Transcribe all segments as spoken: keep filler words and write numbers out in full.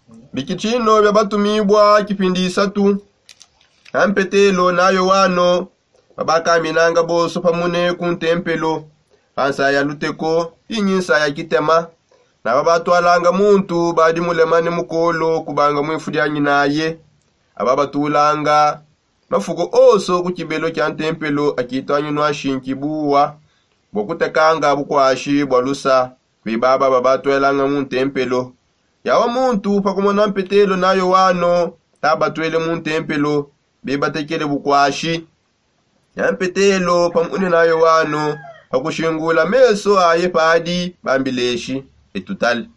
Bikitshino bia batumibua kipindi isatu. Na mpetelo na yoano babakaminanga bonso pamune ku ntempelo, pa nsa ya luteko inyi nsa ya kitema. Na babatwalanga muntu badi mulemane mukolo kubanga mwifu dia nyinaye. Ababatulanga mafuko onso ku kibelo kia ntempelo akitwanyinwa shinki buwa bua kutekanga bukwashi bua lusa. Kwe baba babatwelanga mu ntempelo. Yawa muntu pakumona mpetelo na yoano tabatwele mu ntempelo, bebatekele bukwashi. Ya mpetelo pamune na yoano pakushingula meso aye padi bambileshi, etutale.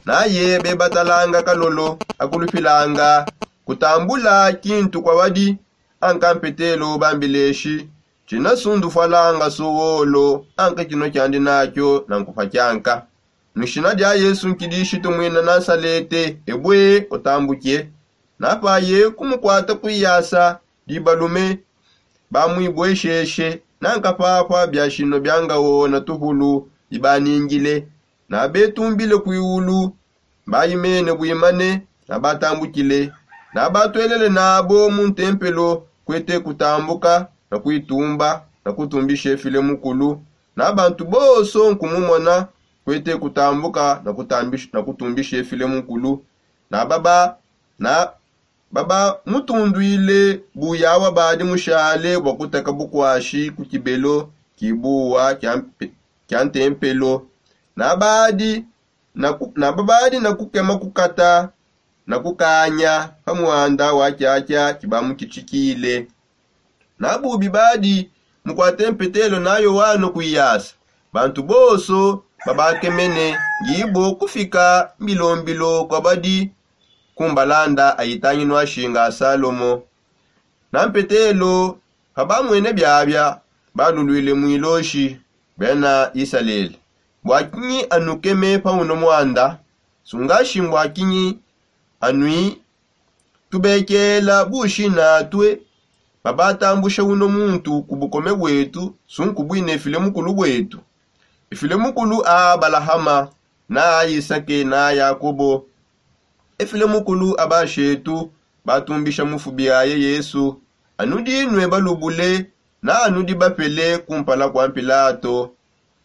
Naye bebatalanga kalolo akulupilanga kutambula kintu kwa badi. Anka mpetelo bambileshi, tshina sundufalanga sowolo anka kino kiandi nakio na nkupa kianka. Mu dishina dia yesu nkidishitu muina nasalete ebue utambuke. Napaye kumukwata kuiyasa dibalume bamuibuesheshe. Nanka papa biashino biangawo na tuhulu bibaningile. Nabetumbile kuiulu. Bayimene buimane. Nabatambukile. Nabatwelele nabo mu ntempelo kuete kutambuka na kuitumba na kutumbisha efile mukulu. Na bantu bonso nkumumona kuete kutambuka na kutumbisha efile mukulu. Na baba na baba mutundwile buyawa badi mushale bua kuteka bukwashi ku kibelo kibuwa kia ntempelo. Na badi na babadi na kukema kukata na kukanya pa muanda wa kiakia kibamukitshikile. Na bubi badi mukuate mpetelo na yoano kuiyasa. Bantu bonso babakemene ngibo kufika mbilombilo kua badi ku mbalanda aitanginu ashinga a salomo. Na mpetelo pabamwene biabia baluluile muiloshi. Bena isalele, bua kinyi anukeme pa uno muanda? Sungashi mbua kinyi anui tubekela bushi natue? Babatambusha uno muntu ku bukome buetu sunku buine file mukulu buetu, efile mukulu a abalahama na a isake na a yakobo. Efile mukulu a bashetu batumbisha mufubi aye yesu. Anu dinue balubule na anu dibapele kumpala kua mpilato.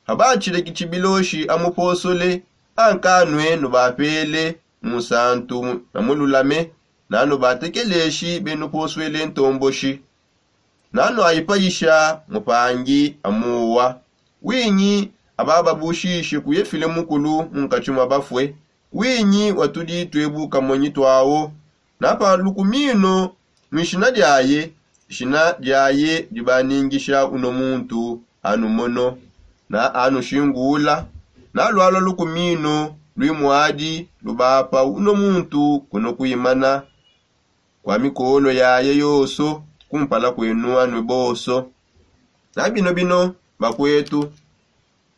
Abatshile kitshibiloshi amuposole ankanue nubapele mu nsantu na mululame. Na nubatekeleshi benuposuele ntomboshi. Na nuayipayisha mupangi amuwa. Winyi abababushishe kuye file mukulu mu nkatshi mua bafue? Winyi watudi tuebu kamonyi tuawo? Na pa lukumino mu dishina diaye. Dishina diaye dibaningisha uno muntu anumono na anushingula. Na lualua lukumino lui muadi lubapa uno muntu kuno kuimana kua mikolo yaye yonso kumpala kuenu anue bonso. Na bino bino bakuetu,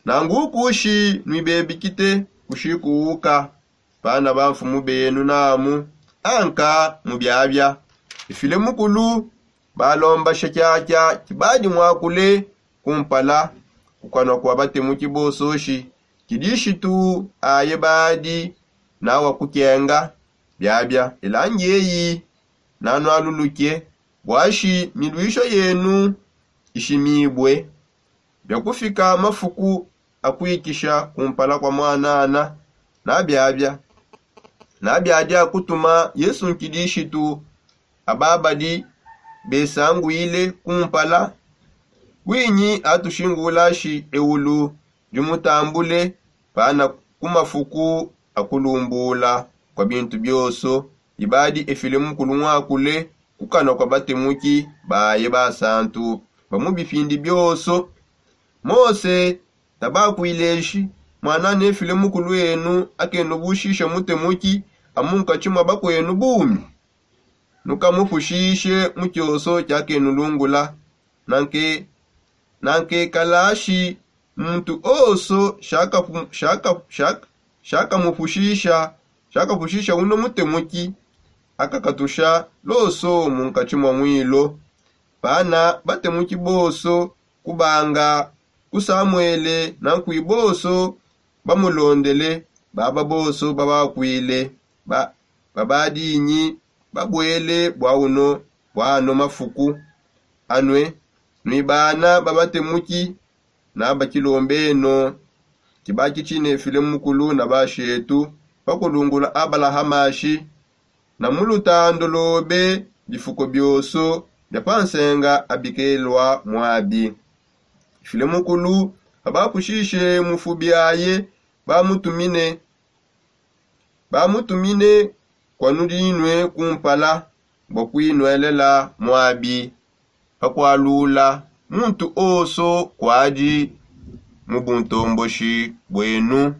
nanguku ushi nuibebikite kushikuuka pana bamfumu benu namu. Anka mu biabia ifile mukulu balombasha kiakia kibadi muakule kumpala kukanua kua batemuki bonso ushi kidishitu aye badi nawa kukenga. Biabia elangi eyi nanualuluke buashi miluisho yenu ishimibue. Biakufika mafuku akuikisha kumpala kua muanana. Nabiabia nabiadi akutuma yesu nkidishitu ababadi besanguile kumpala. Winyi atushingulashi eulu dimutambule pana ku mafuku akulumbula kua bintu bionso. Ibadi efile mukulu muakule kukanua kua batemuki baye basantu ba mu bipindi bionso. Mose tabakuileshi muanana efile mukulu enu akenubushisha mutemuki amu nkatshi mua bakuenu bumi. Nukamupushishe mu tshionso tshiakenulungula. Nankekalashi muntu onso shakamupushisha uno mutemuki akakatusha loso mu nkatshi mua muilo. Pana batemuki bonso kubanga ku samuele nankui bonso bamulondele baba bonso babakuile ba babadinyi babuele bua uno bua ano mafuku anue nui bana babatemuki na bakilombeno. Kibaki tshine file mukulu na bashetu bakulungula abalahamashi na mu lutando lobe bifuko bioso bia pa nsenga abikelua muabi. File mukulu babapushishe mufubi aye bamutumine bamutumine kwa nudinue kumpala bua kuinuelela muabi pakualula muntu oso kuadi mu buntomboshi buenu.